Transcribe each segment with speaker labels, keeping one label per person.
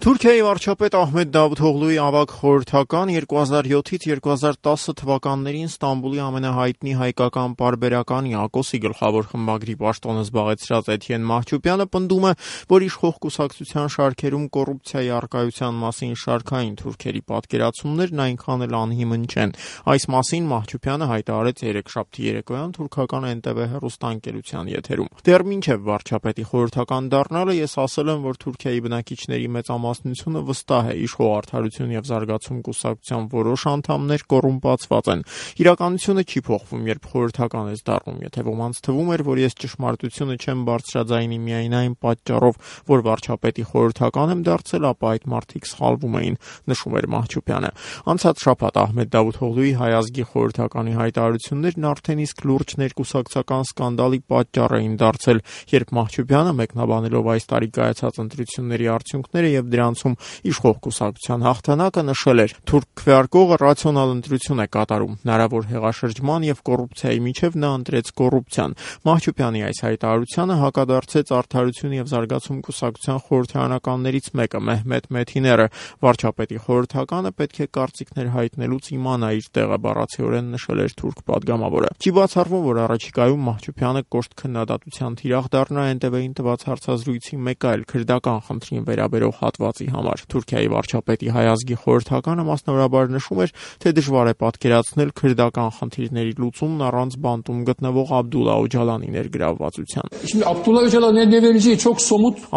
Speaker 1: Թուրքիայի վարչապետ Ահմեդ Դավութօղլուի ավագ խորհրդական 2007-ից 2010 թվականներին Ստամբուլի ամենահայտնի հայկական պարբերական Յակոսի գլխավոր խմբագրի պաշտոնը զբաղեցրած Էթյեն Մահչուպյանը պնդում է, որ իշխող կուսակցության շարքերում կոռուպցիայի առկայության մասին շարքային թուրքերի պատկերացումներն այնքան էլ անհիմն չեն։ Այս մասին Մահչուպյանը հայտարարեց երեքշաբթի երեկոյան թուրքական NTV հեռուստաընկերության եթերում։ Դեռ մինչև վարչապետի խորհրդական դառնալը ես ասել եմ, որ Թուրքիայի բնակիչների մեծամասնությունը վստահ է իշխող Արդարություն եւ զարգացում կուսակցության որոշ անդամներ կոռումպացված են։ Իրականությունը չի փոխվում, երբ խորհրդական ես դառնում, եթե ոմանց թվում էր, որ ես ճշմարտությունը չեմ բարձրաձայնի միայն այն պատճառով, որ վարչապետի խորհրդական եմ դարձել, ապա այդ մարդիկ սխալվում էին, նշում էր Մահչուպյանը։ Անցած շաբաթ Ահմեդ Դավութօղլուի Հայ ազգի խորհրդականի հայտարարություններն արդեն իսկ լուրջ ներկուսակցական սկանդալի պատճառ էին դարձել, երբ Մահչուպյանը մեկնաբանելով այս տարի կայացած ընտրությունների արդյունքները եւ դրանցում իշխող կուսակցության հաղթանակը նշել էր. թուրք քվեարկողը ռացիոնալ ընտրություն է կատարում, հնարավոր հեղաշրջման եւ կոռուպցիայի միջև նա ընտրեց կոռուպցիան։ Մահչուպյանի այս հայտարարությանը հակադարձեց Արդարություն եւ զարգացում կուսակցության խորհրդարանականներից մեկը Մեհմեդ Մեթիները։ Վարչապետի խորհրդականը պետք է կարծիքներ հայտնելուց իմանա իր տեղը, բառացիորեն նշել էր թուրք պատգամավորը։ Չի բացառվում, որ առաջիկայում Մահչուպյանը կոշտ քննադատության թիրախ դառնա NTV-ին տված հարցազրույցի մեկ այլ քրդական խնդրին վերաբերող հատվածի համար։ Թուրքիայի վարչապետի Հայ ազգի խորհրդականը մասնավորաբար նշում էր, թե դժվար է պատկերացնել քրդական խնդիրների լուծումն առանց բանտում գտնվող Աբդուլլահ Օջալանի ներգրավվածության։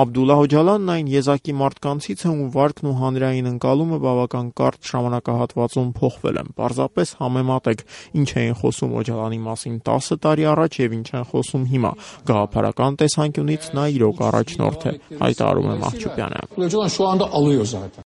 Speaker 1: Աբդուլլահ Օջալանն այն եզակի մարդկանցից է, ում վարկն ու հանրային ընկալումը բավական կարճ ժամանակահատվածում փոխվել են։ Պարզապես համեմատեք, ինչ էին խոսում Օջալանի մասին 10 տարի առաջ եւ ինչ են խոսում հիմա։ Գաղափարական տեսանկյունից նա իրոք առաջնորդ է, հայտարարում է Մահչուպյանը։